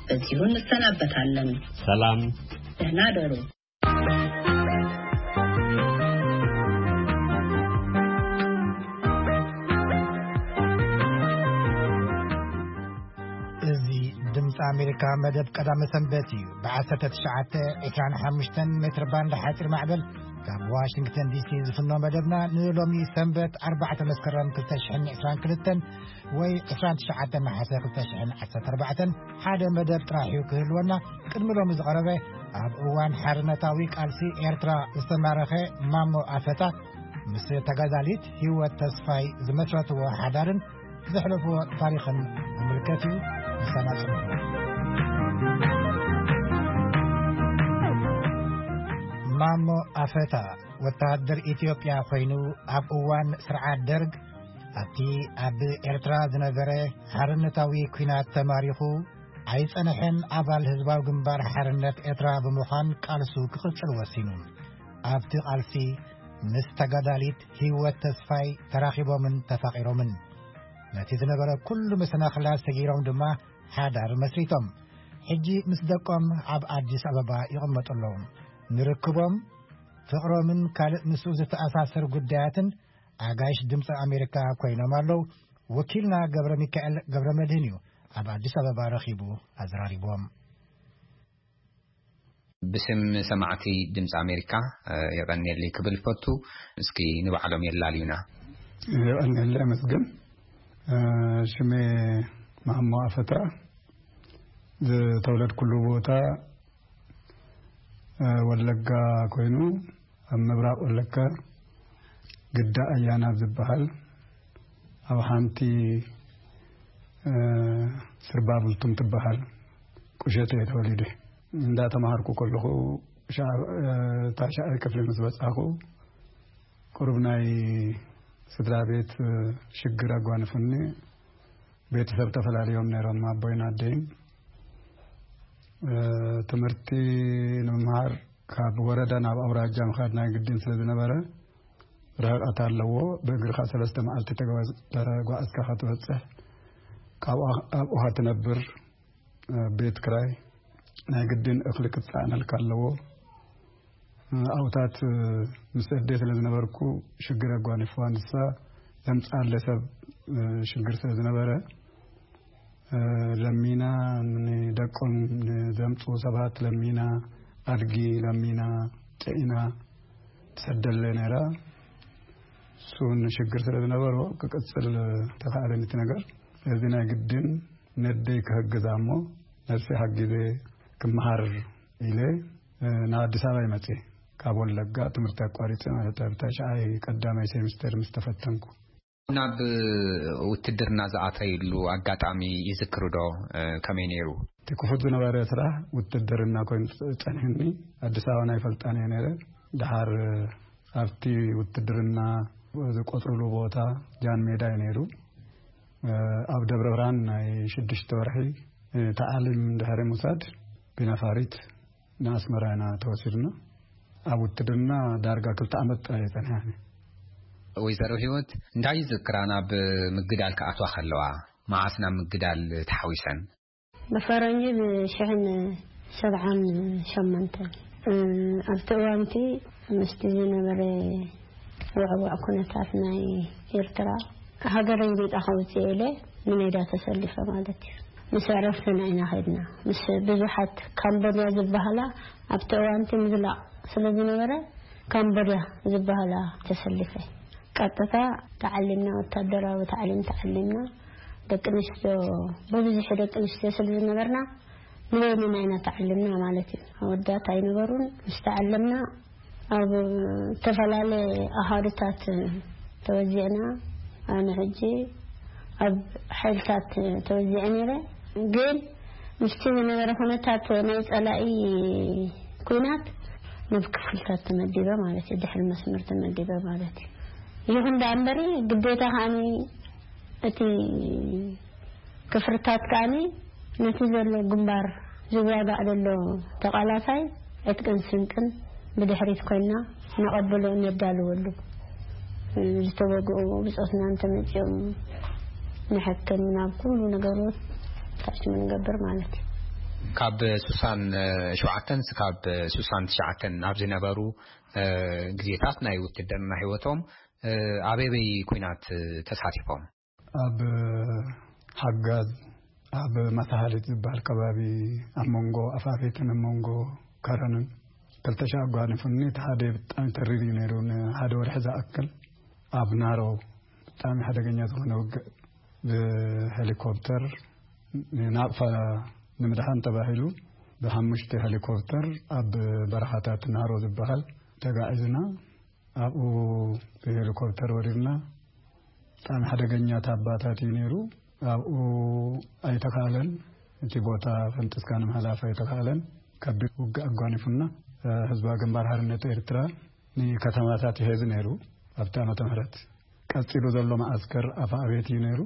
በዚሁ እንሰናበታለን። ሰላም። ደህና ደሩ። እዚ ድምፂ ኣሜሪካ መደብ ቀዳመ ሰንበት እዩ። ብ19፣ 25 ሜትር ባንድ ሓፂር ማዕበል ካብ ዋሽንግተን ዲሲ ዝፍኖ መደብና ንሎሚ ሰንበት 4 መስከረም 2022 ወይ 29 ነሓሰ 2014 ሓደ መደብ ጥራሕ እዩ ክህልወና። ቅድሚ ሎሚ ዝቐረበ ኣብ እዋን ሓርነታዊ ቃልሲ ኤርትራ ዝተማረኸ ማሞ ኣፈታ ምስ ተጋዳሊት ህይወት ተስፋይ ዝመስረትዎ ሓዳርን ዘሕለፍዎ ታሪኽን ዝምልከት እዩ። ምሳና ጽንሑ። ማሞ ኣፈታ ወተሃደር ኢትዮጵያ ኮይኑ ኣብ እዋን ስርዓት ደርግ ኣብቲ ኣብ ኤርትራ ዝነበረ ሓርነታዊ ኲናት ተማሪኹ ኣይጸንሐን። ኣባል ህዝባዊ ግንባር ሓርነት ኤርትራ ብምዃን ቃልሱ ክቕጽል ወሲኑ። ኣብቲ ቃልሲ ምስ ተጋዳሊት ህይወት ተስፋይ ተራኺቦምን ተፋቒሮምን ነቲ ዝነበረ ኩሉ መሰናኽላት ሰጊሮም ድማ ሓዳር መስሪቶም። ሕጂ ምስ ደቆም ኣብ ኣዲስ ኣበባ ይቕመጡ ኣለዉ። ንርክቦም፣ ፍቕሮምን ካልእ ምስኡ ዝተኣሳሰር ጉዳያትን ኣጋይሽ ድምፂ ኣሜሪካ ኮይኖም ኣለዉ። ወኪልና ገብረ ሚካኤል ገብረ መድህን እዩ ኣብ ኣዲስ ኣበባ ረኺቡ ኣዘራሪቦም። ብስም ሰማዕቲ ድምፂ ኣሜሪካ፣ እ፣ የቐንየለይ ክብል ፈቱ። እስኪ ንባዕሎም የላልዩና። የቐንየለይ ኣመስግን። እ፣ ሽሜ ማሞ ኣፈታ፣ ዝተወለድኩሉ ቦታ፣ እ፣ ወለጋ ኮይኑ፣ ኣብ ምብራቕ ወለጋ ግዳ ኣያና ኣብ ዝበሃል ኣብ ሓንቲ፣ እ፣ ስርባ ብልቱም ትበሃል ቁሸት እየ ተወሊደ። እንዳተማሃርኩ ከለኹ ሻዕ-፣ እ፣ ታሽዓይ ክፍሊ ምስ በጻኹ ቁሩብ ናይ ስድራ ቤት፣ እ፣ ሽግር ኣጓንፉኒ። ቤተሰብ ተፈላለዮም ነይሮም፣ ኣቦይን ኣደይን። እ፣ ትምህርቲ ንምምሃር ካብ ወረዳ ናብ ኣውራጃ ምኻድ ናይ ግድን ስለ ዝነበረ ርሕቀት ኣለዎ። ብእግርኻ ሰለስተ መዓልቲ ተጓዝ-፣ ተጓዕዝካ ክትበጽሕ። ካብኡ ኣብኡ ትነብር። ቤት ክራይ ናይ ግድን እኽሊ ክትጸዓነልካ ኣለዎ። ኣብታት ምስ ኣደ ስለ ዝነበርኩ ሽግር ኣጓኒፍዋ፣ ንሳ ዘምጽኣለ ሰብ ሽግር ስለ ዝነበረ፣ ለሚና፣ ንደቆም ንዘምጽኡ ሰባት ለሚና፣ ኣድጊ ለሚና፣ ጽዒና ትሰደለይ ነይራ። እሱን ሽግር ስለ ዝነበሮ ክቅጽል ተኻእለን እቲ ነገር። ስለዚ ናይ ግድን ነደይ ክሕግዛ እሞ ነብሰይ ሓጊዘ ክመሃር ኢለ ናብ ኣዲስ ኣበባ ይመጽእ። ካብ ወለጋ ትምህርቲ ኣቋሪጸ ማለት ኣብ ታሽዓይ ቀዳማይ ሴሚስተር ምስ ተፈተንኩ። ናብ ውትድርና ዝኣተይሉ ኣጋጣሚ ይዝክሩ ዶ? እ፣ ከመይ ነይሩ? እቲ ክፉት ዝነበረ ስራሕ ውትድርና ኮይኑ ጸኒሕኒ። ኣዲስ ኣበባ ናይ ፈልጣን እየ ነይረ። ድሓር ኣብቲ ውትድርና ዝቆጽሩሉ ቦታ ጃን ሜዳ እዩ ነይሩ። ኣብ ደብረ ብርሃን ናይ ሽዱሽተ ወርሒ ተዓሊም ድሕሪ ምውሳድ ብነፋሪት ንኣስመራ ኢና ተወሲድና። ኣብ ውትድርና ዳርጋ ክልተ ዓመት ጥራይ እየ ጸኒሐ። ወይዘሮ ህይወት እንታይ ይዝክራ ናብ ምግዳል ክኣትዋ ከለዋ? መዓስ ናብ ምግዳል ተሓዊሰን? ብፈረንጂ ብ1978። እ፣ ኣብቲ እዋንቲ ምስቲ ዝነበረ ውዕዉዕ ኩነታት ናይ ኤርትራ፣ ሃገረይ ነጻ ከውጽእ ኢለ ንሜዳ ተሰሊፈ ማለት እዩ። ምስ ዕረፍትና ኢና ከድና። ምስ ብዙሓት ካምቦድያ ዝበሃላ ኣብቲ እዋንቲ ምዝላቕ ስለ ዝነበረ፣ ካምቦድያ ዝበሃላ ተሰሊፈ። ቀጥታ ተዓሊምና፣ ወታደራዊ ታዕሊም ተዓሊምና። ደቂ ኣንስትዮ፣ ብብዝሒ ደቂ ኣንስትዮ ስለ ዝነበርና፣ ንበይንና ኢና ተዓሊምና ማለት እዩ። ኣወዳት ኣይነበሩን። ምስ ተዓለምና፣ ኣብ ዝተፈላለየ ኣሃዱታት ተወዚዕና። ኣነ ሕጂ ኣብ ሓይልታት ተወዚዐ ነይረ። ግን ምስቲ ዝነበረ ኩነታት ናይ ጸላኢ ኲናት፣ ናብ ክፍልታት ተመዲበ ማለት እዩ። ድሕሪ መስመር ተመዲበ ማለት እዩ። ይኹን ደኣ እምበሪ፣ ግዴታ ከኣኒ እቲ ክፍልታት ከኣኒ ነቲ ዘሎ ግንባር ዝዋጋእ ዘሎ ተቓላሳይ ዕጥቅን ስንቅን ብድሕሪት ኮይና ነቐብሎ፣ ነዳልወሉ። ዝተወግኡ ብጾትና እንተመጺኦም ንሕክም፣ ናብ ኩሉ ነገሮት ታች ንገብር ማለት እዩ። ካብ ሱሳን ሸውዓተን ስካብ ሱሳን ትሽዓተን ኣብ ዝነበሩ ግዜታት ናይ ውትድርና ህይወቶም ኣበበይ ኩናት ተሳቲፎም? ኣብ ሓጋዝ ኣብ መሳሃሊት ዝበሃል ከባቢ ኣብ መንጎ ኣፋፌትን ኣብ መንጎ ከረንን ክልተ ሻዕ ኣጓኒፉኒ። እቲ ሓደ ብጣዕሚ ተሪር እዩ ነይሩ። ንሓደ ወርሒ ዝኣክል ኣብ ናሮ ብጣዕሚ ሓደገኛ ዝኾነ ውግእ ብሄሊኮፕተር ናቕፋ ንምድሓን ተባሂሉ ብሓሙሽተ ሄሊኮፕተር ኣብ በረኻታት ናሮ ዝበሃል ተጋዒዝና። ኣብኡ ብሄሊኮፕተር ወሪድና። ብጣዕሚ ሓደገኛ ታባታት እዩ ነይሩ። ኣብኡ ኣይተኻለን፣ እቲ ቦታ ፈንጢስካ ንምሕላፍ ኣይተኻለን። ከቢድ ውግእ ኣጓኒፉና። ህዝባዊ ግንባር ሓርነት ኤርትራ ንከተማታት ይሕዝ ነይሩ ኣብቲ ዓመተ ምህረት። ቀጺሉ ዘሎ መዓስከር ኣፋ ኣቤት እዩ ነይሩ።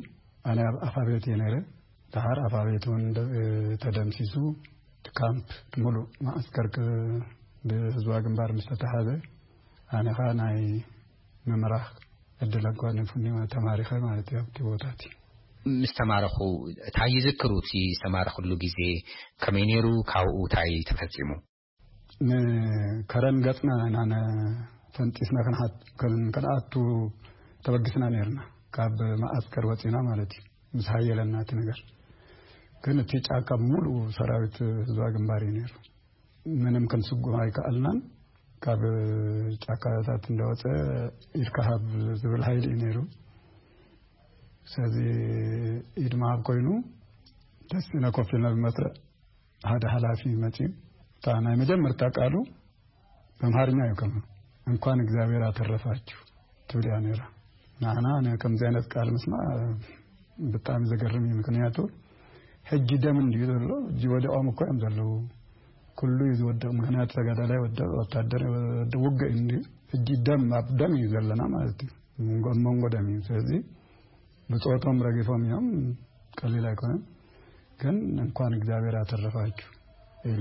ኣነ ኣብ ኣፋ ቤት እየ ነይረ። ደሓር ኣፋ ቤት እውን ደ-፣ ተደምሲሱ፣ እቲ ካምፕ ሙሉእ መዓስከር ክ-፣ ብህዝባዊ ግንባር ምስ ተታሓዘ፣ ኣነ ኸኣ ናይ ምምራሕ ዕድል ኣጓኒፉኒ፣ ተማሪኸ ማለት እዩ ኣብቲ ቦታ እቲ። ምስ ተማረኹ እንታይ ይዝክሩ? እቲ ዝተማረኽሉ ግዜ ከመይ ነይሩ? ካብኡ እንታይ ተፈጺሙ? ንከረን ገጽና ኢና ነ-፣ ፈንጢስና ክንሓት-፣ ከን-፣ ከነኣቱ ተበጊስና ነይርና። ካብ መዓስከር ወጺና ማለት እዩ። ምስ ሃየለና እቲ ነገር። ግን እቲ ጫካ ሙሉኡ ሰራዊት ህዝባዊ ግንባር እዩ ነይሩ። ምንም ክንስጉም ኣይከኣልናን። ካብ ጫካታት እንደወጸ ኢድካ ሃብ ዝብል ሃይሊ እዩ ነይሩ። ስለዚ ኢድ ምሃብ ኮይኑ ደስ ኢልና ኮፍ ኢልና ብመስርዕ ሓደ ሓላፊ መጺኡ፣ እታ ናይ መጀመርታ ቃሉ ብኣምሓርኛ እዩ፣ ከም "እንኳን እግዚኣብሔር አተረፋችሁ" ትብል እያ ነይራ። ንዓና ነ-፣ ከምዚ ዓይነት ቃል ምስማዕ ብጣዕሚ ዘገርም እዩ። ምክንያቱ ሕጂ ደም እንድዩ ዘሎ፣ ሕጂ ወዲቖም እኮ እዮም ዘለዉ። ኩሉ እዩ ዝወድቕ፣ ምክንያቱ ተጋዳላይ ወድቕ፣ ወታደር ወድቕ፣ ውግእ እንድዩ። ሕጂ ደም ኣብ ደም እዩ ዘለና ማለት እዩ። መንጎ፣ መንጎ ደም እዩ። ስለዚ ብጾቶም ረጊፎም እዮም፣ ቀሊል ኣይኮነን። ግን "እንኳን እግዚኣብሔር አተረፋችሁ" ኢሉ።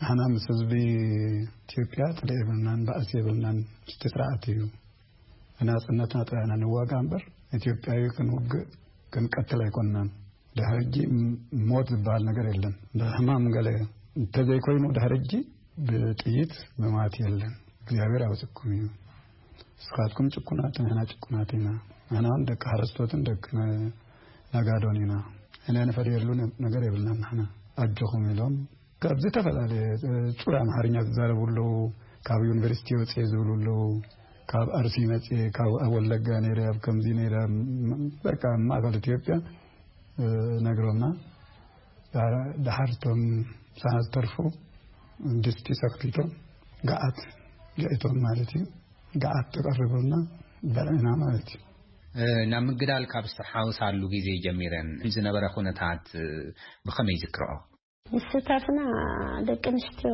ንሕና ምስ ህዝቢ ኢትዮጵያ ጽልኢ የብልናን፣ ባእሲ የብልናን። ምስቲ ስርዓት እዩ። ንናጽነትና ጥራይ ኢና ንዋጋእ እምበር፣ ኢትዮጵያዊ ክንውግእ ክንቀትል ኣይኮንናን። ድሕሪ ሕጂ ም-፣ ሞት ዝበሃል ነገር የለን። ብሕማም ገለ እንተዘይኮይኑ ድሕሪ ሕጂ ብጥይት ምማት የለን። እግዚኣብሔር ኣውፅኩም እዩ። ንስኻትኩም ጭቁናት፣ ንሕና ጭቁናት ኢና። ንሕና እውን ደቂ ሓረስቶትን ደቂ ነ-፣ ነጋዶን ኢና። ሕነ ንፈድየሉ ነ-፣ ነገር የብልናን። ንሕና ኣጆኹም ኢሎም ካብ ዝተፈላለየ፣ እ፣ ጹር ኣምሓርኛ ዝዛረቡ ኣለዉ፣ ካብ ዩኒቨርሲቲ ወጽኤ ዝብሉ ኣለዉ፣ ካብ ኣርሲ መጽኤ፣ ካብ ኣብ ወለጋ ነይረ፣ ኣብ ከምዚ ነይረ፣ ም-፣ በቃ ኣብ ማእከል ኢትዮጵያ፣ እ፣ ነግሮምና። ዳ-፣ ደሓር እቶም ምሳና ዝተርፉ ድስቲ ሰኽቲቶም ገዓት ገዒቶም ማለት እዩ። ገዓት ተቐሪቡልና በሊዕና ማለት እዩ። እ፣ ናብ ምግዳል ካብ ዝተሓወሳሉ ግዜ ጀሚረን ዝነበረ ኩነታት፣ እ፣ ብኸመይ ይዝክርኦ? ምስታፍና ደቂ ኣንስትዮ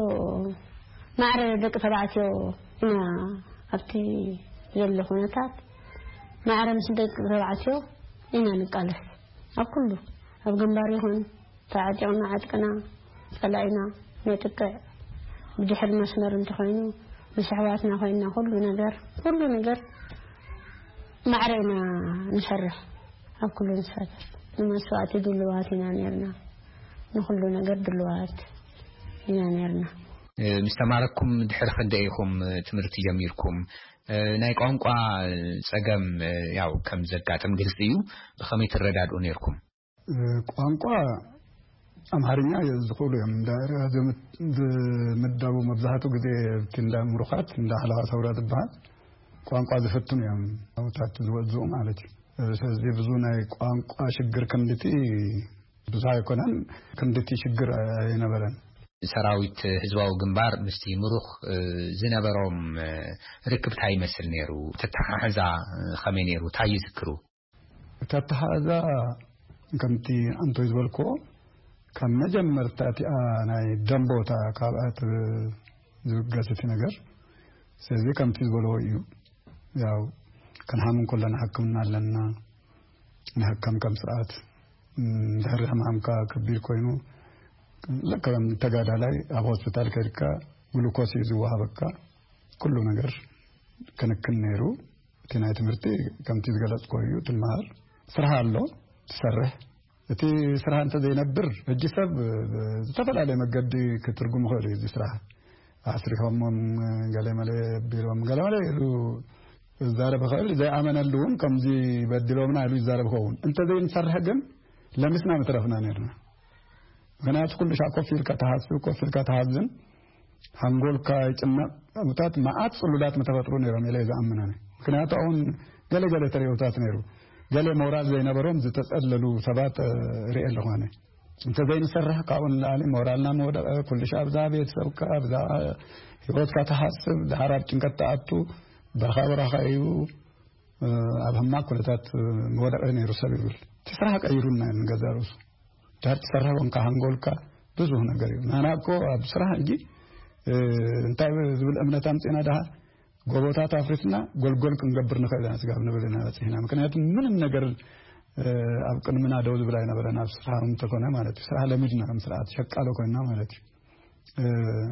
ማዕረ ደቂ ተባዕትዮ ኢና። ኣብቲ ዘሎ ኩነታት ማዕረ ምስ ደቂ ተባዕትዮ ኢና ንቃለስ። ኣብ ኩሉ፣ ኣብ ግንባር ይኹን ተዓጢቕና ዓጥቅና ጸላኢና ነጥቅዕ። ብድሕሪ መስመር እንተኾይኑ ምስ ኣሕዋትና ኮይንና ኩሉ ነገር፣ ኩሉ ነገር ማዕረ ኢና ንሰርሕ። ኣብ ኩሉ ንሳተፍ። ንመስዋእቲ ድልዋት ኢና ነርና። ንኹሉ ነገር ድልዋት ኢና ነርና። እ፣ ምስ ተማረኩም ድሕሪ ክንደይ ኢኹም፣ እ፣ ትምህርቲ ጀሚርኩም? እ፣ ናይ ቋንቋ፣ እ፣ ጸገም፣ እ፣ ያው ከም ዘጋጥም ግልጺ እዩ። ብኸመይ ትረዳድኡ ነርኩም? እ፣ ቋንቋ ኣምሓርኛ ዝኽእሉ እዮም። እንዳ ዝም-፣ ዝምደቡ መብዛሕትኡ ግዜ ኣብቲ እንዳ ምሩኻት፣ እንዳ ሓለዋ ሰውራ ዝበሃል ቋንቋ ዝፍትኑ እዮም፣ ኣብታት ዝወዝኡ ማለት እዩ። እ፣ ስለዚ ብዙ ናይ ቋንቋ ሽግር ክንድቲ ብዙሕ ኣይኮነን፣ ክንድቲ ሽግር ኣይነበረን። ሰራዊት ህዝባዊ ግንባር ምስቲ ምሩኽ፣ እ፣ ዝነበሮም፣ እ፣ ርክብ እንታይ ይመስል ነይሩ? ተተሓሕዛ፣ እ፣ ከመይ ነይሩ? እንታይ ይዝክሩ? እቲ ኣተሓሕዛ ከምቲ ኣንቶይ ዝበልክዎ ካብ መጀመርታ እቲኣ ናይ ደንቦታ ካብኣ ት-፣ ዝብገስ እቲ ነገር። ስለዚ ከምቲ ዝበልዎ እዩ። ያው ክንሓም እንከለና ሕክምና ኣለና። ንሕከም ከም ስርዓት፣ እም፣ ድሕሪ ሕማምካ ከቢድ ኮይኑ፣ ልክዕ ከም ተጋዳላይ ኣብ ሆስፒታል ከድካ ግሉኮስ እዩ ዝወሃበካ። ኩሉ ነገር ክንክን ነይሩ። እቲ ናይ ትምህርቲ ከምቲ ዝገለጽኮ እዩ፣ ትመሃር። ስራሕ ኣሎ፣ ትሰርሕ። እቲ ስራሕ እንተዘይነብር፣ ሕጂ ሰብ ብዝተፈላለየ መገዲ ክትርጉም ይኽእል እዩ። እዚ ስራሕ ኣስሪሖሞም፣ ገለመለ ኣቢሎም፣ ገለመለ ኢሉ ዝዛረብ ይኽእል። ዘይኣመነሉ እውን ከምዚ በዲሎምና ኢሉ ይዛረብ ይኸውን። እንተዘይንሰርሕ ግን ለሚስና ምትረፍና ነርና። ምክንያቱ ኩሉ ሻዕ ኮፍ ኢልካ ትሓስብ፣ ኮፍ ኢልካ ትሓዝን፣ ሓንጎልካ ይጭነቕ። ከምኡታት መዓት ጽሉላት መተፈጥሮ ነይሮም ኢለ ዝኣምን ኣነ። ምክንያቱ ኣሁን ገለ ገለ ተርእዮታት ነይሩ። ገለ ሞራል ዘይነበሮም ዝተጸለሉ ሰባት፣ እ፣ ርኢ ኣለኹ ኣነ። እንተዘይንሰርሕ ካብኡ ንላዕሊ ሞራልና መወደቐ። ኩሉ ሻዕ ብዛዕባ ቤተሰብካ፣ ብዛዕባ ህይወትካ ትሓስብ፣ ድሓር ኣብ ጭንቀት ትኣቱ፣ በረኻ በረኻ እዩ። እ፣ ኣብ ሕማቕ ኩነታት መወደቐ ነይሩ ሰብ ይብል። እቲ ስራሕ ቀይሩና እዩ ንገዛእ ርእሱ። ድሓር ትሰርሕ ኮንካ ሓንጎልካ ብዙሕ ነገር እዩ። ናና እኮ ኣብ ስራሕ ሕጂ፣ እ፣ እንታይ ዝብል እምነት ኣምጺእና ደሓር? ጎቦታት ኣፍሪስና ጎልጎል ክንገብር ንኽእል ኢና ስጋብ ንብል ኢና በጺሕና። ምክንያቱ ምንም ነገር፣ እ፣ ኣብ ቅድምና ደው ዝብል ኣይነበረን። ኣብ ስራሕ እንተኾነ ማለት እዩ። ስራሕ ለሚድና ከም ስርዓት ሸቃሎ ኮይንና ማለት እዩ። እ፣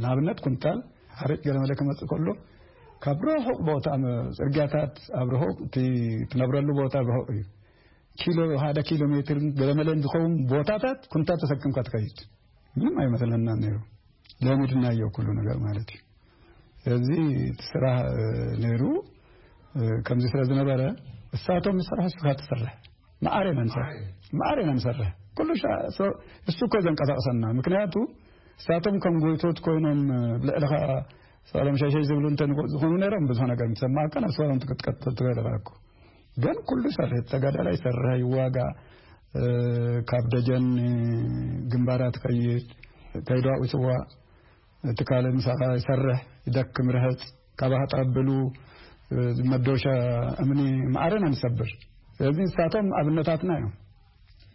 ንኣብነት ኩንታል ሓሪጭ ገለመለ ክመጽእ ከሎ ካብ ርሑቕ ቦታ መ-፣ ጽርግያታት ኣብ ርሑቕ፣ እቲ ትነብረሉ ቦታ ርሑቕ እዩ። ኪሎ፣ ሓደ ኪሎ ሜትር ገለመለን ዝኸውን ቦታታት ኩንታል ተሰኪምካ ትከይድ። ምንም ኣይመስለናን ነይሩ። ለሚድናዮ ኩሉ ነገር ማለት እዩ። ስለዚ እቲ ስራሕ፣ እ፣ ነይሩ፣ እ፣ ከምዚ ስለ ዝነበረ እሳቶም ዝሰርሑ እስኻ ትሰርሕ። ማዕረ ኢና ንሰርሕ። ማዕረ ኢና ንሰርሕ። ኩሉ ሻ-፣ ሶ-፣ እሱ እኮ ዘንቀሳቕሰና። ምክንያቱ እሳቶም ከም ጎይቶት ኮይኖም፣ እ፣ ብልዕልኻ ሳሎም ሸሸይ ዝብሉ እንተ ንኮ-፣ ዝኾኑ ነይሮም ብዙሕ ነገር ምትሰማዕካ ነብስኻ ክትቀጥል ትኽእል ኢኻ እኮ። ግን ኩሉ ይሰርሕ፣ ተጋዳላይ ይሰርሕ፣ ይዋጋእ፣ እ፣ ካብ ደጀን፣ እ፣ ግንባራት ከይድ፣ ከይዱ ኣብኡ ይስዋእ፣ እቲ ካልእ ምሳኻ ይሰርሕ፣ ይደክም፣ ይርህጽ፣ ካባኻ ጠብል፣ እ፣ መዶሻ እምኒ ማዕረ ኢና ንሰብር። ስለዚ ንሳቶም ኣብነታትና እዮም።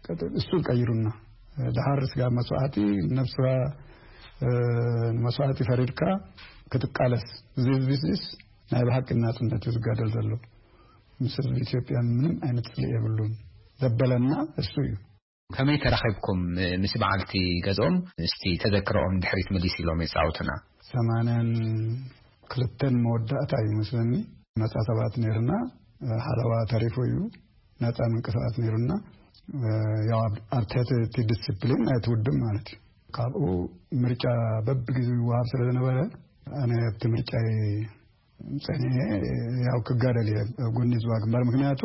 ቀጥ-፣ እሱ ቀይሩና። ድሓር ስጋ መስዋዕቲ፣ ነብስኻ፣ እ፣ ንመስዋዕቲ ፈሪድካ ክትቃለስ። እዚ ህዝቢስ ናይ ብሓቂ ናጽነት እዩ ዝጋደል ዘሎ። ምስ ህዝቢ ኢትዮጵያ ምንም ዓይነት ጽልኢ የብሉን ዘበለና እሱ እዩ። ከመይ ተራኺብኩም ምስ በዓልቲ ገዝኦም? እስቲ ተዘክሮኦም ድሕሪት መሊስ ኢሎም የጻውቱና። ሰማንያን ክልተን መወዳእታ እዩ መስለኒ። ነጻ ሰባት ነይርና፣ ሓለዋ ተሪፉ እዩ። ነጻ ምንቅስቃስ ነይሩና። ያው ኣብ፣ ኣብ ትሕቲ እቲ ዲስፕሊን ናይቲ ውድብ ማለት እዩ። ካብኡ ምርጫ በብግዜኡ ይወሃብ ስለ ዝነበረ፣ ኣነ ኣብቲ ምርጫ ጸኒሐ፣ ያው ክጋደል እየ ኣብ ጎኒ ዝዋ ግንባር። ምክንያቱ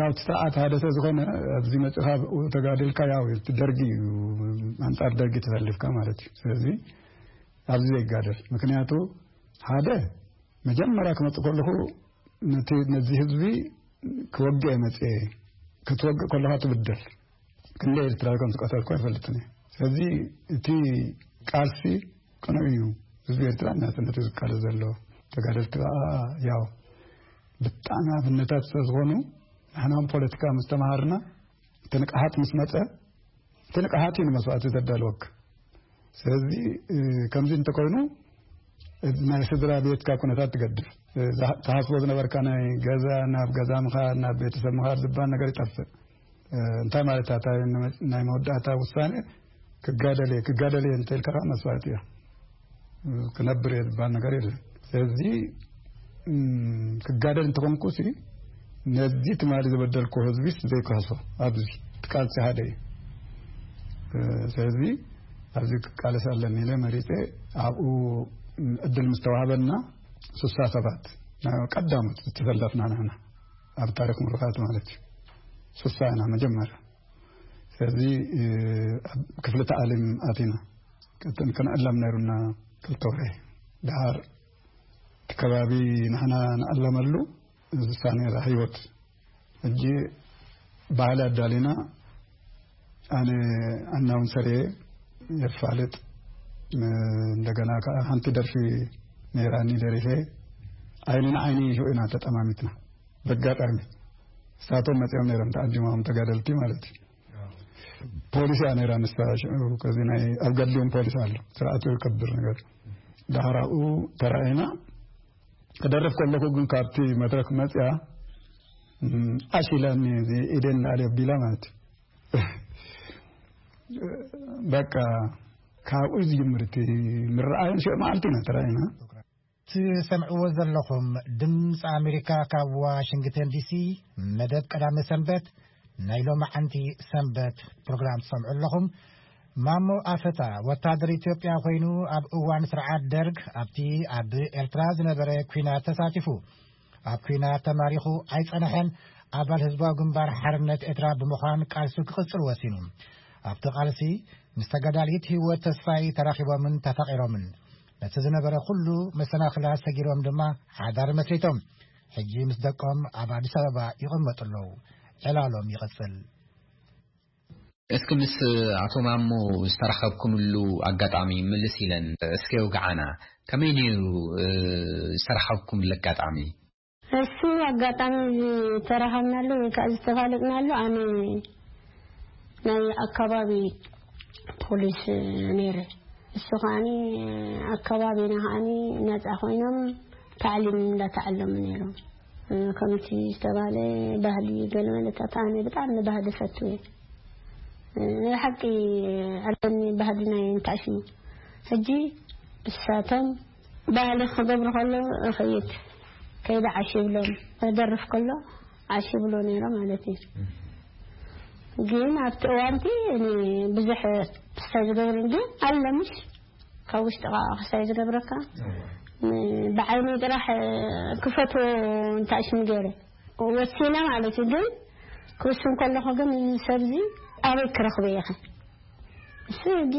ያው እቲ ስርዓት ሓደ ስለ ዝኾነ፣ ኣብዚ መጽኻ ተጋዲልካ፣ ያው እቲ ደርጊ እዩ፣ ኣንጻር ደርጊ ተሰሊፍካ ማለት እዩ። ስለዚ ኣብዚ ዘይጋደል። ምክንያቱ ሓደ መጀመርያ ክመጽእ ከለኹ ነቲ፣ ነዚ ህዝቢ ክወግእ እየ መጽኤ። ክትወግእ ከለኻ ትብደል። ክንደይ ኤርትራዊ ከም ዝቀተልኩ ኣይፈልጥን እየ። ስለዚ እቲ ቃልሲ ቅኑዕ እዩ። ህዝቢ ኤርትራ ናጽነቱ ዝቃለስ ዘሎ። ተጋደልቲ ከኣ ያው ብጣዕሚ ኣብነታት ስለ ዝኾኑ፣ ንሕና እውን ፖለቲካ ምስ ተማሃርና፣ እቲ ንቕሓት ምስ መጸ፣ እቲ ንቕሓት እዩ ንመስዋእቲ ዘዳልወካ። ስለዚ፣ እ፣ ከምዚ እንተኮይኑ፣ እ፣ ናይ ስድራ ቤትካ ኩነታት ትገድፍ። እ፣ ዝሃ-፣ ትሃስቦ ዝነበርካ ናይ ገዛ፣ ናብ ገዛ ምኻድ፣ ናብ ቤተሰብ ምኻድ ዝበሃል ነገር ይጠፍእ። እ፣ እንታይ ማለት እታ ናይ መወዳእታ ውሳኔ ክጋደል እየ፣ ክጋደል እየ እንተኢልካ ከዓ መስዋእቲ እያ። እ፣ ክነብር እየ ዝበሃል ነገር የለን። ስለዚ፣ እም፣ ክጋደል እንተኾንኩ ሲ፣ ነዚ ትማሊ ዝበደልኩ ህዝቢስ ዘይክሕሶ፣ ኣብዚ እቲ ቃልሲ ሓደ እዩ። እ፣ ስለዚ ኣብዚ ክቃለስ ኣለኒ ኢለ መሪጸ፣ ኣብኡ እድል ምስ ተዋህበና፣ ስሳ ሰባት ቀዳሞት ዝተሰለፍና ንሕና፣ ኣብ ታሪኽ ምሩኻት ማለት እዩ። ስሳ ኢና መጀመርያ። ስለዚ፣ እ፣ ኣብ ክፍሊ ተዓሊም ኣቲና። ቀጥን ክንዕለም ነይሩና ክልተ ወርሒ። ድሓር እቲ ከባቢ ንሕና ንዕለመሉ እንስሳ ነይራ ህይወት። ሕጂ ባህሊ ኣዳሊና፣ ኣነ ኣናውንሰር እየ፣ የፋልጥ። እ፣ እንደገና ከዓ ሓንቲ ደርፊ ነይራኒ ደሪፈ። ዓይኒ ንዓይኒ ሽዑ ኢና ተጠማሚትና። በጋጣሚ እሳቶም መጺኦም ነይሮም፣ ተዓዲሞም ተጋደልቲ ማለት እዩ። ፖሊስ እያ ነይራ ንሳ ሽዑ። ከዚ ናይ ኣብ ገድሊውን ፖሊስ ኣሎ፣ ስርዓቱ ይከብር ነገር። ዳሕራኡ ተራእና፣ ክደርፍ ከለኹ ግን ካብቲ መድረክ መጽያ፣ እም፣ ዓሽ ኢላኒ፣ እዚ ኢደን ላዕሊ ኣቢላ ማለት እዩ። በቃ ካብኡ ዝጅምር እቲ ምርኣይን ሽዑ መዓልቲ ኢና ተራእና። ትሰምዕዎ ዘለኹም ድምፂ ኣሜሪካ ካብ ዋሽንግተን ዲሲ፣ መደብ ቀዳመ ሰንበት ናይ ሎማዓንቲ ሰንበት ፕሮግራም ትሰምዑ ኣለኹም። ማሞ ኣፈታ ወታደር ኢትዮጵያ ኮይኑ ኣብ እዋን ስርዓት ደርግ ኣብቲ ኣብ ኤርትራ ዝነበረ ኲናት ተሳቲፉ። ኣብ ኲናት ተማሪኹ ኣይጸንሐን። ኣባል ህዝባዊ ግንባር ሓርነት ኤርትራ ብምዃን ቃልሱ ክቕጽል ወሲኑ። ኣብቲ ቃልሲ ምስ ተጋዳሊት ህይወት ተስፋይ ተራኺቦምን ተፋቒሮምን። ነቲ ዝነበረ ኩሉ መሰናኽላት ሰጊሮም ድማ ሓዳር መስሪቶም። ሕጂ ምስ ደቆም ኣብ ኣዲስ ኣበባ ይቕመጡ ኣለዉ። ዕላሎም ይቕጽል። እስኪ ምስ ኣቶ ማሞ ዝተራኸብኩምሉ ኣጋጣሚ ምልስ ኢለን እስኪ የውግዓና። ከመይ ነይሩ፣ እ፣ ዝተራኸብኩምሉ ኣጋጣሚ? እሱ ኣጋጣሚ ዝተራኸብናሉ ወይ ከዓ ዝተፋለጥናሉ፣ ኣነ ናይ ኣካባቢ ፖሊስ ነይረ። እሱ ከዓኒ ኣካባቢና ከዓኒ ነፃ ኮይኖም ታዕሊም እንዳተዓለሙ ነይሮም። እ፣ ከምቲ ዝተባለ ባህሊ ገለ መለታት ኣነ ብጣዕሚ ባህሊ ፈትው እየ። እ፣ ናይ ሓቂ ኣለኒ ባህሊ ናይ እንታሽሙ። ሕጂ እሳቶም ባህሊ ክገብሩ ከለዉ እኸይድ ከይደ ዓሽ ይብሎም። ክደርፍ ከሎ ዓሽ ይብሎ ነይሮ ማለት እዩ። ግን ኣብቲ እዋንቲ እኔ ብዙሕ ክሳይ ዝገብሩ ግን ኣሎ ምሽ ካብ ውሽጢ ከዓ ክሳይ ዝነብረካ። እወ። ን-፣ ብዓይኒ ጥራሕ ክፈትዎ እንታሽሙ ገይረ ወሲነ ማለት እዩ። ግን ክውስን ከለኹ ግን እዚ ሰብዚ ኣበይ ክረኽቦ እየ ኸ? እሱ ሕጂ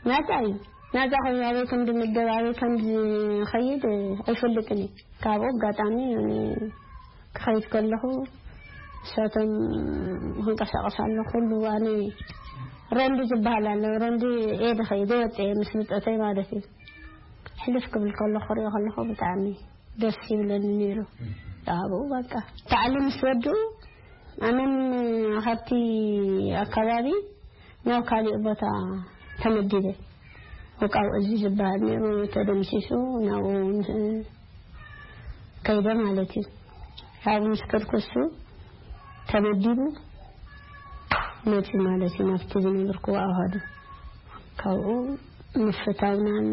ናጻ እዩ። ናጻ ኮይኑ ኣበይ ከም ዝምደብ፣ ኣበይ ከም ዝኸይድ ኣይፈልጥን እዩ። ካብኡ ኣጋጣሚ እኔ ክኸይድ ከለኹ እሳቶም ክንቀሳቐስ ኣለኹ። ኩሉ ኣነ ሮንዲ ዝበሃል ኣሎ። ሮንዲ እየ ዝኸይድ፣ እወጽእ እየ ምስ ብጾተይ ማለት እዩ። ሕልፍ ክብል ከለኹ ክሪኦ ከለኹ ብጣዕሚ ደስ ይብለኒ ነይሩ። ኣብኡ በቃ ታዕሊም ምስ ወድኡ ኣነም ካብቲ ኣካባቢ ናብ ካሊእ ቦታ ተመዲበ። ወቃው እዚ ዝበሃል ነይሩ ተደምሲሱ ናብኡ ከይደ ማለት እዩ። ካብኡ ምስ ከድኩ እሱ ተመዲቡ መፂ ማለት እዩ ናብቲ ዝነበርኩዎ ኣሃዱ። ካብኡ ምፍታውናን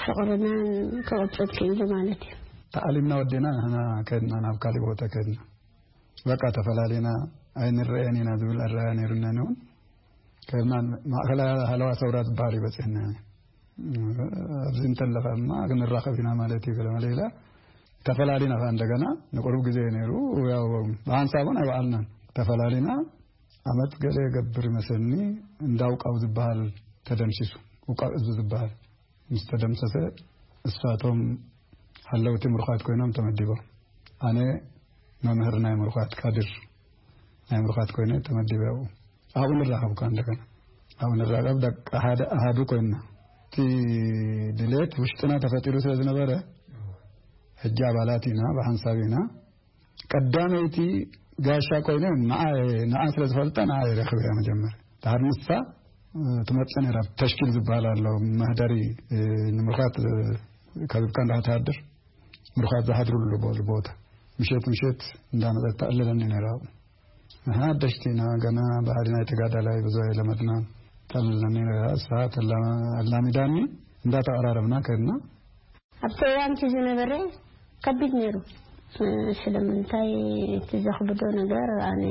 ፍቕርናን ክቕፅል ክኢሉ ማለት እዩ። ተኣሊምና ወዲና ንሕና ከድና ናብ ካሊእ ቦታ ከድና። በቃ ተፈላሊና ኣይንረአን ኢና ዝብል ኣረኣያ ነይሩና። ንውን ከድና ማእኸላይ ሃለዋ ሰውራ ዝበሃል እዩ በፂሕና። ኣብዚ እንተለኻ ድማ ክንራኸብ ኢና ማለት እዩ። ገለ መለ ኢላ ተፈላሊና ኸዓ እንደገና ንቁሩብ ግዜ ነይሩ። ያው ብሓንሳቡን ኣይወዓልናን። ተፈላሊና ዓመት ገለ የገብር ይመስለኒ እንዳውቃው ዝበሃል ተደምሲሱ። ውቃው እዙ ዝበሃል ምስ ተደምሰሰ እሳቶም ሓለውቲ ምሩኻት ኮይኖም ተመዲቦም። ኣነ መምህር ናይ ምሩኻት ካድር ናይ ምሩኻት ኮይነ ተመዲበ ኣብኡ። ኣብኡ ንራኸብ እኳ እንደገና ኣብኡ ንራኸብ ደቂ ሓደ ኣሃዱ ኮይንና። እቲ ድሌት ውሽጥና ተፈጢሩ ስለ ዝነበረ ሕጂ ኣባላት ኢና፣ ብሓንሳብ ኢና። ቀዳመይቲ ጋሻ ኮይነ ንዓ ንዓ ስለ ዝፈልጣ ንዓ ይረኽብ እያ መጀመርያ። ድሓር ንሳ እ፣ ትመጽእ ነይራ። ተሽኪል ዝበሃል ኣሎ መህደሪ እ፣ ንምሩኻት እ፣ ከቢብካ እንዳትሃድር ምሩኻት ዝሃድሩሉ ቦ- ቦታ ምሸት ምሸት እንዳመጸት ተዕልለኒ ነይራ። ንሕና ሓደሽቲ ኢና፣ ገና ባህሊ ናይ ተጋዳላይ ብዙ ኣይለመድና። ተዕልለኒ ነይራ። እሳ ተላ- ኣላሚዳኒ። እንዳተቐራረብና ከድና። ኣብቲ እዋንቲ ዝነበረ ከቢድ ነይሩ። እ፣ ስለምንታይ እቲ ዘኽብዶ ነገር ኣነ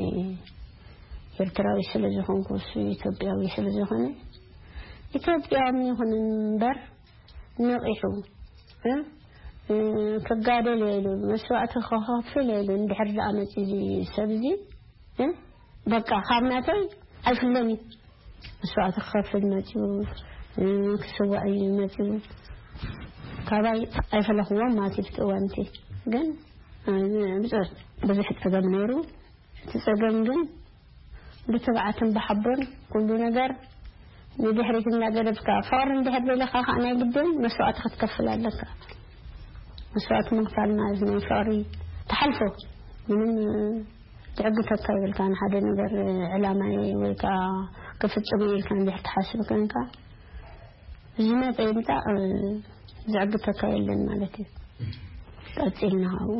ኤርትራዊ ስለ ዝኾንኩ እሱ ኢትዮጵያዊ ስለ ዝኾነ ኢትዮጵያዊ ይኹን እምበር ነቒሑ እ፣ እ፣ ክጋደል እየ ኢሉ መስዋእቲ ክኸፍል እየ ኢሉ እንድሕር ዝኣመፅ እዚ ሰብ እዚ እ፣ በቃ ካብ ናተይ ኣይፍለን እዩ። መስዋእቲ ክኸፍል መፅኡ እ፣ ክስዋእ እዩ መፅኡ። ካባይ ኣይፈለኽዎም ማለት እዩ። ኣብቲ እዋንቲ ግን እ፣ ብዙሕ ብዙሕ ፀገም ነይሩ። እቲ ጸገም ግን ብትብዓትን ብሓቦን ኩሉ ነገር ንድሕሪት እናገደፍካ ፍቕሪ እንድሕር ደለኻ ከዓ ናይ ግድን መስዋእቲ ክትከፍል ኣለካ። መስዋእቲ ምኽፋል ማለት ናይ ፍቕሪ ትሓልፎ ምንም ዝዕግተካ ይብልካ። ንሓደ ነገር ዕላማየ ወይ ከዓ ክፍጽም ኢልካ እንድሕር ትሓስብ ኮንካ ዝመፀ ይምፃእ ዝዕግተካ የለን ማለት እዩ። ቀፂልና ካብኡ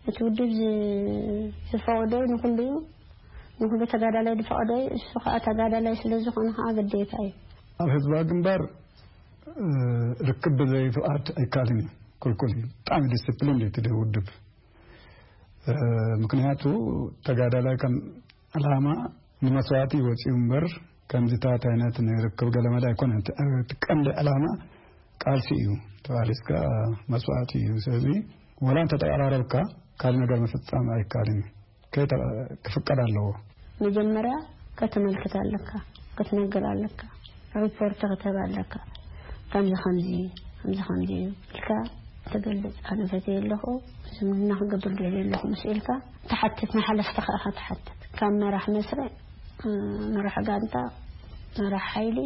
እቲ ውድብ ዝ- ዝፈቕዶ ንኹሉ እዩ። ንኹሉ ተጋዳላይ ዝፈቐዶ እዩ። እሱ ከዓ ተጋዳላይ ስለ ዝኾነ ከዓ ግዴታ እዩ። ኣብ ህዝባዊ ግንባር እ፣ ርክብ ብዘይ ፍቓድ ኣይካልን እዩ። ክልኩል እዩ። ብጣዕሚ ዲስፕሊን እዩ እቲ ውድብ። ምክንያቱ ተጋዳላይ ከም ዕላማ ንመስዋእቲ ይወፅኡ እምበር ከምዚታት ዓይነት ንርክብ ገለመለ ኣይኮነን። እቲ ቀንዲ ዕላማ ቃልሲ እዩ። ተቓሊስካ መስዋእቲ እዩ። ስለዚ ወላ እንተተቐራረብካ ካልእ ነገር ምፍጻም ኣይካልን እዩ። ክፍቀድ ኣለዎ። መጀመርያ ከተመልክት ኣለካ፣ ክትነግር ኣለካ፣ ሪፖርት ክትህብ ኣለካ። ከምዚ ከምዚ ከምዚ ከምዚ ኢልካ ትገልጽ። ኣነ ፈትየ ኣለኹ፣ ዝምድና ክገብር ደልየ ኣለኹ ምስ ኢልካ ትሓትት፣ ንሓለፍቲ ከዓ ትሓትት። ካብ መራሕ መስርዕ፣ መራሕ ጋንታ፣ መራሕ ሓይሊ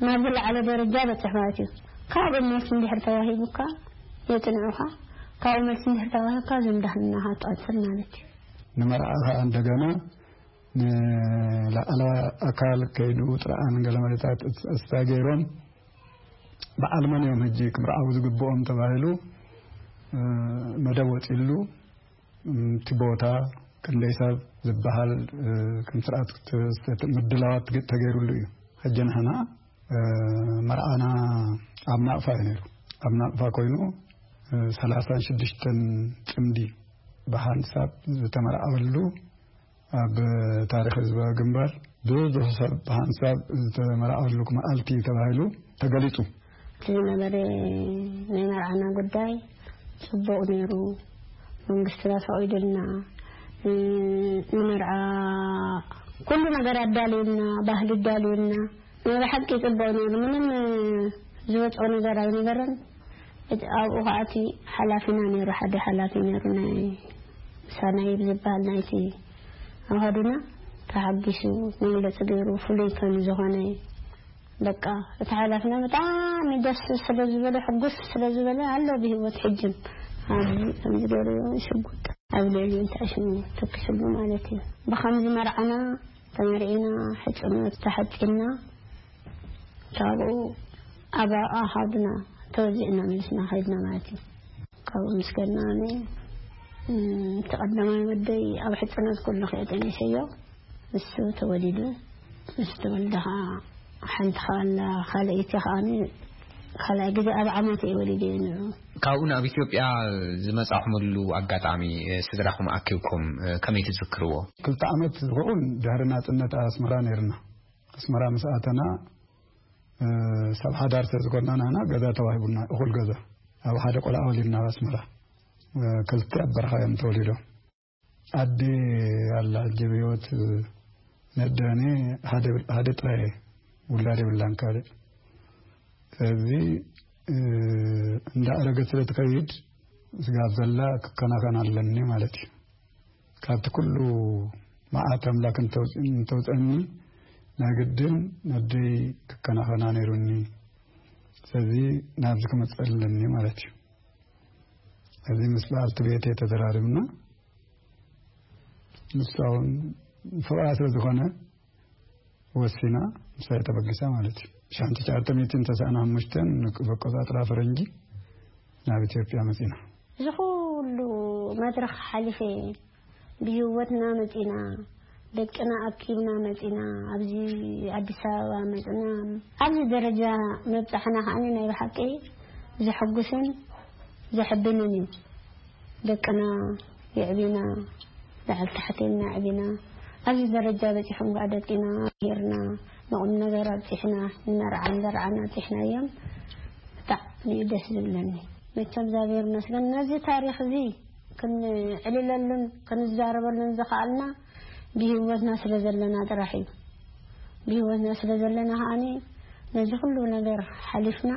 ናብ ዝለዓለ ደረጃ በጽሕ ማለት እዩ። ካብኡ መልሲ እንድሕር ተዋሂቡካ የጽንዑኻ። ካብኡ መልሲ እንድሕር ተዋሂብካ ዝምዳህናኻ ትቐጽል ማለት እዩ። ንመርዓ ከዓ እንደገና ንላዕለዋይ ኣካል ከይዱ ጥርዓን ገለመለታት እስታ ገይሮም በዓል መን እዮም ሕጂ ክምርዓው ዝግብኦም ተባሂሉ መደብ ወፂሉ እቲ ቦታ ክንደይ ሰብ ዝበሃል ከም ስርዓት ምድላዋት ተገይሩሉ እዩ። ሕጂ ንሕና መርዓና ኣብ ናቕፋ እዩ ነይሩ። ኣብ ናቕፋ ኮይኑ ሰላሳን ሽዱሽተን ፅምዲ ብሓንሳብ ዝተመርዓወሉ ኣብ ታሪኽ ህዝባዊ ግንባር ብዙሕ ሰብ ብሓንሳብ ዝተመርዓወሉ መዓልቲ እዩ ተባሂሉ ተገሊፁ። እቲ ዝነበረ ናይ መርዓና ጉዳይ ፅቡቕ ነይሩ። መንግስትና ፈቒዱልና ንመርዓ ኩሉ ነገር ኣዳልዩልና፣ ባህሊ ኣዳልዩልና። ናይ ብሓቂ ፅቡቕ ነይሩ። ምንም ዝወፅኦ ነገር ኣይነበረን። ኣብኡ ከዓ እቲ ሓላፊና ነይሩ፣ ሓደ ሓላፊ ነይሩ፣ ናይ ሳናይብ ዝበሃል ናይቲ ኣሃዱና ተሓጒሱ መግለፂ ገይሩ ፍሉይ ከም ዝኾነ በቃ እቲ ሓላፊና ብጣዕሚ ደስ ስለ ዝበለ ሕጉስ ስለ ዝበለ ኣሎ ብህይወት ሕጅም ኣብዚ ከምዚ ገይሩ ሽጉጥ ኣብ ልዕሊ እንታይ ሽሙ ተኪስሉ ማለት እዩ። ብከምዚ መርዓና ተመርዒና ሕፅኖት ተሓፂና ካብኡ ኣብ ኣሃዱና ተወዚዕና መሊስና ከይድና ማለት እዩ። ካብኡ ምስ ከድና ኣነ እቲ ቀዳማይ ወደይ ኣብ ሕፅኖት ኩሉ ከየጠኒሰዮ ንሱ ተወሊዱ። ምስ ተወልደ ከዓ ሓንቲ ከዓ ኣላ ካልኣይቲ ከዓ ካልኣይ ግዜ ኣብ ዓመት እየ ወሊደ ንዑ። ካብኡ ናብ ኢትዮጵያ ዝመጻኹምሉ ኣጋጣሚ ስድራኹም ኣኪብኩም ከመይ ትዝክርዎ? ክልተ ዓመት ዝኸውን ድሕሪ ናጽነት ኣስመራ ነይርና። ኣስመራ ምስ ኣተና ሰብ ሓዳር ስለ ዝኾንና ንሕና ገዛ ተዋሂቡና፣ እኹል ገዛ። ኣብ ሓደ ቆልዓ ወሊድና ኣብ ኣስመራ። ክልተ ኣብ በረኻ እዮም ተወሊዶም። ኣደ ኣላ ሕጂ ብህይወት ነደኔ ሓደ ጥራይ ውላድ የብላን ካልእ። ስለዚ እንዳኣረገት ስለ ትኸይድ ስጋብ ዘላ ክከናኸን ኣለኒ ማለት እዩ። ካብቲ ኩሉ መዓት ኣምላክ እንተውፅእኒ ናይ ግድን ነደይ ክከናኸና ነይሩኒ። ስለዚ ናብዚ ክመፅእ ኣለኒ ማለት እዩ። እዚ ምስ በዓልቲ ቤተይ ተዘራሪብና ንሳ እውን ፍቕራ ስለ ዝኾነ ወሲና ምሳይ ተበጊሳ ማለት እዩ። ሻንቲ ሻርተ ሚትን ተሳእና ሓሙሽተን በቆፃፅራ ፈረንጂ ናብ ኢትዮጵያ መፂና። እዚ ኩሉ መድረኽ ሓሊፈ ብህይወትና መፂና ደቅና ኣኪብና መፂና ኣብዚ ኣዲስ ኣበባ መፅና ኣብዚ ደረጃ መብፃሕና ከዓኒ ናይ ብሓቂ ዘሐጉስን ዘሕብንን እዩ። ደቅና የዕቢና ላዕሊ ታሕቲ ኢልና ኣዕቢና ኣብዚ ደረጃ በፂሖም ከዓ ደቂና ሄርና ንቁም ነገር ኣብፂሕና ንመርዓን ዘርዓን ኣብፂሕናዮም ብጣዕሚ እዩ ደስ ዝብለኒ። መቸም እግዚኣብሔር ይመስገን ነዚ ታሪክ እዚ ክንዕልለሉን ክንዛረበሉን ዝኸኣልና ብህይወትና ስለ ዘለና ጥራሕ እዩ። ብህይወትና ስለ ዘለና ከዓኒ ነዚ ኩሉ ነገር ሓሊፍና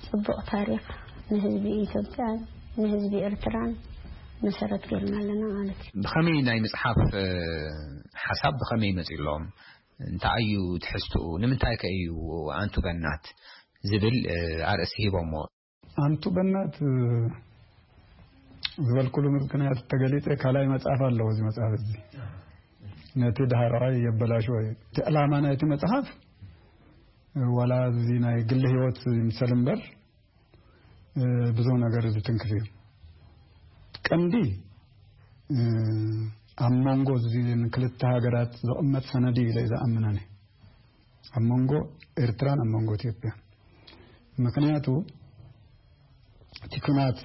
ፅቡቕ ታሪክ ንህዝቢ ኢትዮጵያን ንህዝቢ ኤርትራን መሰረት ገይርና ኣለና ማለት እዩ። ብኸመይ ናይ ምፅሓፍ ሓሳብ ብኸመይ መፂሎም? እንታይ እዩ ትሕዝትኡ? ንምንታይ ከ እዩ ኣንቱ በናት ዝብል ኣርእስቲ ሂቦሞ? ኣንቱ በናት ዝበልኩሉ ምክንያት ተገሊጸ ካልኣይ መጽሓፍ ኣለዎ። እዚ መጽሓፍ እዚ ነቲ ዳህራይ የበላሽዎ እዩ። እቲ ዕላማ ናይቲ መጽሓፍ ዋላ እዚ ናይ ግሊ ህይወት ይምሰል እምበር ብዙ ነገር ዝትንክፍ እዩ። ቀንዲ ኣብ መንጎ እዚ ክልተ ሃገራት ዝቕመጥ ሰነድ እዩ ኢለ ዝኣምን ኣነ። ኣብ መንጎ ኤርትራን ኣብ መንጎ ኢትዮጵያን። ምክንያቱ እቲ ኩናት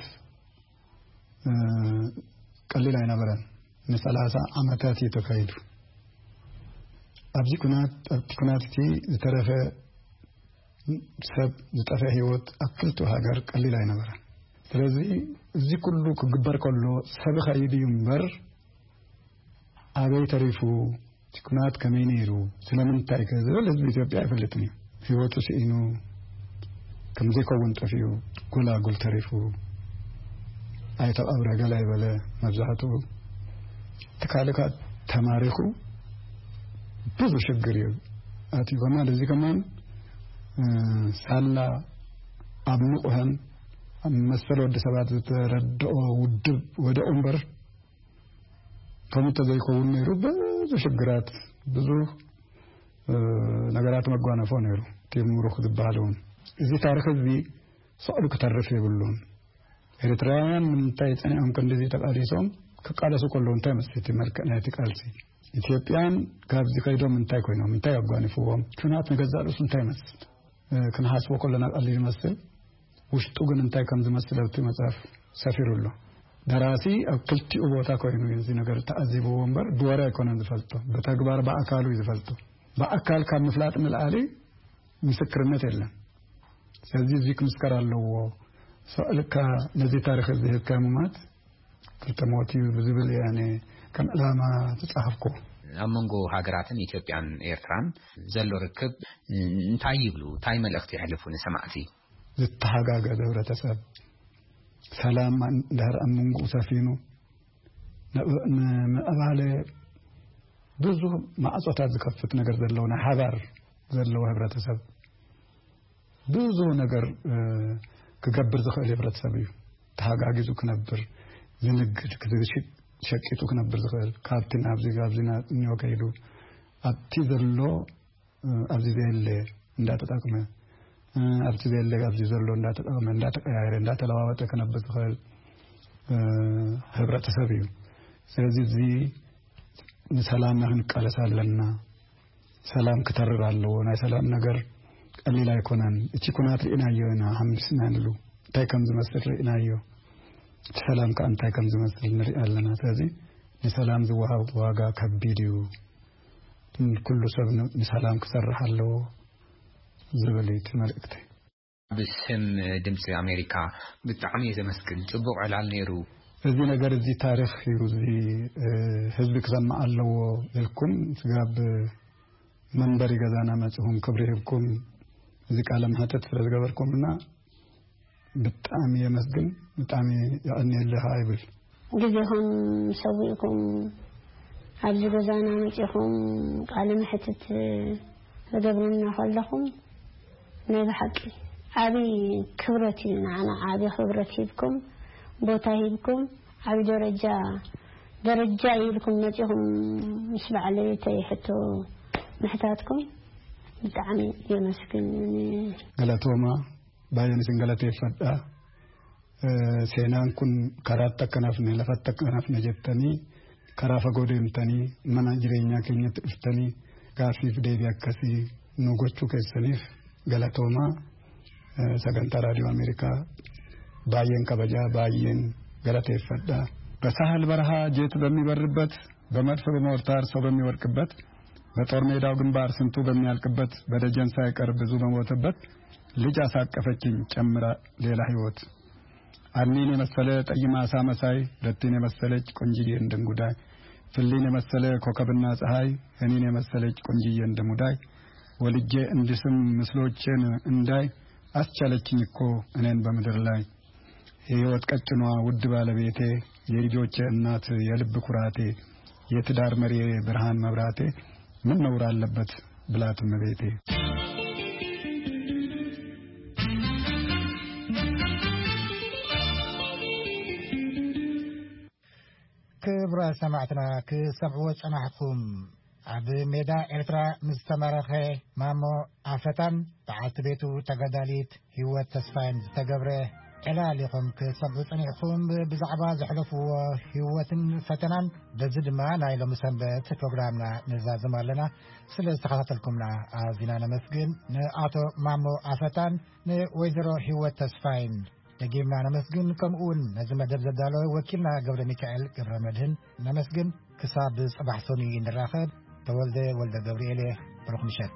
ቀሊል ኣይነበረን። ንሰላሳ ዓመታት እዩ ተካይዱ። ኣብዚ ኩናት ኣብቲ ኩናት እቲ ዝተረፈ ሰብ ዝጠፍአ ህይወት ኣብ ክልቲኡ ሃገር ቀሊል ኣይነበረን። ስለዚ እዚ ኩሉ ክግበር ከሎ ሰብ ኸይዱ እዩ እምበር ኣበይ ተሪፉ እቲ ኩናት ከመይ ነይሩ ስለምንታይ ከ ዝብል ህዝቢ ኢትዮጵያ ኣይፈልጥን እዩ። ህይወቱ ስኢኑ ከም ዘይከውን ጠፊኡ ጎላጉል ተሪፉ ኣይተቐብረ ገለ ኣይበለ። መብዛሕትኡ ትካልካ ተማሪኹ ብዙ ሽግር እዩ ኣትዩ። ከማን እዚ ከማን ሳላ ኣብ ንቑሐን ኣብ መሰል ወዲ ሰባት ዝተረድኦ ውድብ ወደቑ እምበር ከምኡ ተዘይከውን ነይሩ ብዙ ሽግራት ብዙ ነገራት መጓነፎ ነይሩ። እቲ ምሩኽ ዝበሃል እውን እዚ ታሪኽ እዚ ስቕሉ ክተርፍ የብሉን። ኤርትራውያን ንምንታይ ጸኒዖም ክንድዚ ተቃሊሶም ክቃለሱ ከለዉ እንታይ መስል እቲ መልክዕ ናይቲ ቃልሲ? ኢትዮጵያን ካብዚ ከይዶም እንታይ ኮይኖም እንታይ ኣጓኒፍዎም? ኩናት ንገዛእ ርእሱ እንታይ መስል? ክንሓስቦ ከለና ቀሊል ይመስል። ውሽጡ ግን እንታይ ከም ዝመስል ኣብቲ መጽሓፍ ሰፊሩ ኣሎ። ደራሲ ኣብ ክልቲኡ ቦታ ኮይኑ እዩ እዚ ነገር ተዓዚብዎ እምበር ብወረ ኣይኮነን ዝፈልጦ፣ ብተግባር ብኣካሉ እዩ ዝፈልጦ። ብኣካል ካብ ምፍላጥ ንልዓሊ ምስክርነት የለን። ስለዚ እዚ ክምስከር ኣለዎ። ሰእልካ ነዚ ታሪክ እዚ ህብካ ሙማት ክልተ ሞት እዩ ብዝብል እየ ኣነ ከም ዕላማ ዝጸሓፍኩ። ኣብ መንጎ ሃገራትን ኢትዮጵያን ኤርትራን ዘሎ ርክብ እንታይ ይብሉ? እንታይ መልእኽቲ የሕልፉ ንሰማዕቲ? ዝተሓጋገዘ ህብረተሰብ፣ ሰላም እንድሕር ኣብ መንጎኡ ሰፊኑ፣ ንምዕባለ ብዙ ማዕጾታት ዝከፍት ነገር ዘለዎ፣ ናይ ሓባር ዘለዎ ህብረተሰብ፣ ብዙ ነገር ክገብር ዝኽእል ህብረተሰብ እዩ። ተሓጋጊዙ ክነብር፣ ዝንግድ፣ ሸቂጡ ክነብር ዝኽእል፣ ካብቲ ናብዚ ካብዚ እኒኦ ከይዱ ኣብቲ ዘሎ ኣብዚ ዘየለ እንዳተጠቅመ፣ ኣብቲ ዘየለ ኣብዚ ዘሎ እንዳተጠቅመ፣ እንዳተቀያየረ፣ እንዳተለዋወጠ ክነብር ዝኽእል ህብረተሰብ እዩ። ስለዚ እዚ ንሰላምና ክንቃለስ ኣለና። ሰላም ክተርር ኣለዎ። ናይ ሰላም ነገር ቀሊል ኣይኮነን። እቲ ኩናት ርኢናዮ ኢና፣ ሓምቢስና ንሉ እንታይ ከም ዝመስል ርኢናዮ። እቲ ሰላም ከኣ እንታይ ከም ዝመስል ንርኢ ኣለና። ስለዚ ንሰላም ዝወሃብ ዋጋ ከቢድ እዩ። ኩሉ ሰብ ን-፣ ንሰላም ክሰርሕ ኣለዎ ዝብል እዩ እቲ መልእክቲ። ብስም ድምፂ ኣሜሪካ ብጣዕሚ እየ ዘመስግን። ፅቡቕ ዕላል ነይሩ። እዚ ነገር እዚ ታሪኽ እዩ። እዚ፣ እ፣ ህዝቢ ክሰምዕ ኣለዎ ኢልኩም ስጋብ መንበሪ ገዛና መፂኹም ክብሪ ሂብኩም እዚ ቃለ መሕተት ስለ ዝገበርኩምና ብጣዕሚ የመስግን፣ ብጣዕሚ የቐንየልኻ ይብል። ግዜኹም ሰዊእኩም ኣብዚ ገዛና መጺኹም ቃለ መሕትት ትገብሩልና ከለኹም ናይ ብሓቂ ዓቢ ክብረት እዩ ንዓና፣ ዓቢ ክብረት ሂብኩም፣ ቦታ ሂብኩም፣ ዓቢ ደረጃ፣ ደረጃ ኢልኩም መጺኹም ምስ ባዕለይተይ ሕቶ ምሕታትኩም ብጣዕሚ የመስግን። ገለቶማ ባየን ስንገለቴ ፈዳ፣ እ፣ ሴናን ኩን ከራተ ከናፍነ ለፈተ ከናፍነ ጀተኒ ከራ ፈጎ ደምተኒ መና ጅሬኛ ኬኛ ትድፍተኒ ጋፊፍ ደቢ ኣከሲ ኖጎቹ ከሰኒፍ ገለቶማ፣ እ፣ ሰገንታ ራዲዮ ኣሜሪካ ባየን ከበጃ ባየን ገለቴ ፈዳ። በሳህል በረሃ ጄት በሚበርበት፣ በመድፍ በሞርታር ሰው በሚወድቅበት፣ በጦር ሜዳው ግንባር ስንቱ በሚያልቅበት፣ በደጀን ሳይቀር ብዙ በሞተበት፣ ልጅ አሳቀፈችኝ ጨምራ ሌላ ህይወት። አኒን የመሰለ ጠይም አሳ መሳይ፣ ረቲን የመሰለች ቆንጅዬ እንድንጉዳይ፣ ፍሊን የመሰለ ኮከብና ፀሐይ፣ እኔን የመሰለች ቆንጅዬ እንድሙዳይ፣ ወልጄ እንድስም ምስሎቼን እንዳይ አስቻለችኝ እኮ እኔን በምድር ላይ። የህይወት ቀጭኗ ውድ ባለቤቴ፣ የልጆቼ እናት፣ የልብ ኩራቴ፣ የትዳር መሪዬ ብርሃን መብራቴ፣ ምን ነውር አለበት ብላት እመቤቴ። ክቡራት ሰማዕትና፣ ክሰምዕዎ ጸናሕኩም፣ ኣብ ሜዳ ኤርትራ ምስ ተማረኸ ማሞ ኣፈታን በዓልቲ ቤቱ ተጋዳሊት ህይወት ተስፋይን ዝተገብረ ዕላል ኢኹም ክሰምዑ ጸኒሕኩም። ብዛዕባ ዘሕለፍዎ ህይወትን ፈተናን፣ በዚ ድማ ናይ ሎሚ ሰንበት ፕሮግራምና ንዛዝም ኣለና። ስለ ዝተኸታተልኩምና ኣዚና ነመስግን። ንኣቶ ማሞ ኣፈታን ንወይዘሮ ህይወት ተስፋይን ደጊምና ነመስግን። ከምኡ እውን ነዚ መደብ ዘዳለወ ወኪልና ገብረ ሚካኤል ገብረ መድህን ነመስግን። ክሳብ ጽባሕ ሰኑይ ንራኸብ። ተወልደ ወልደ ገብርኤል እየ። ብሩኽ ምሸት።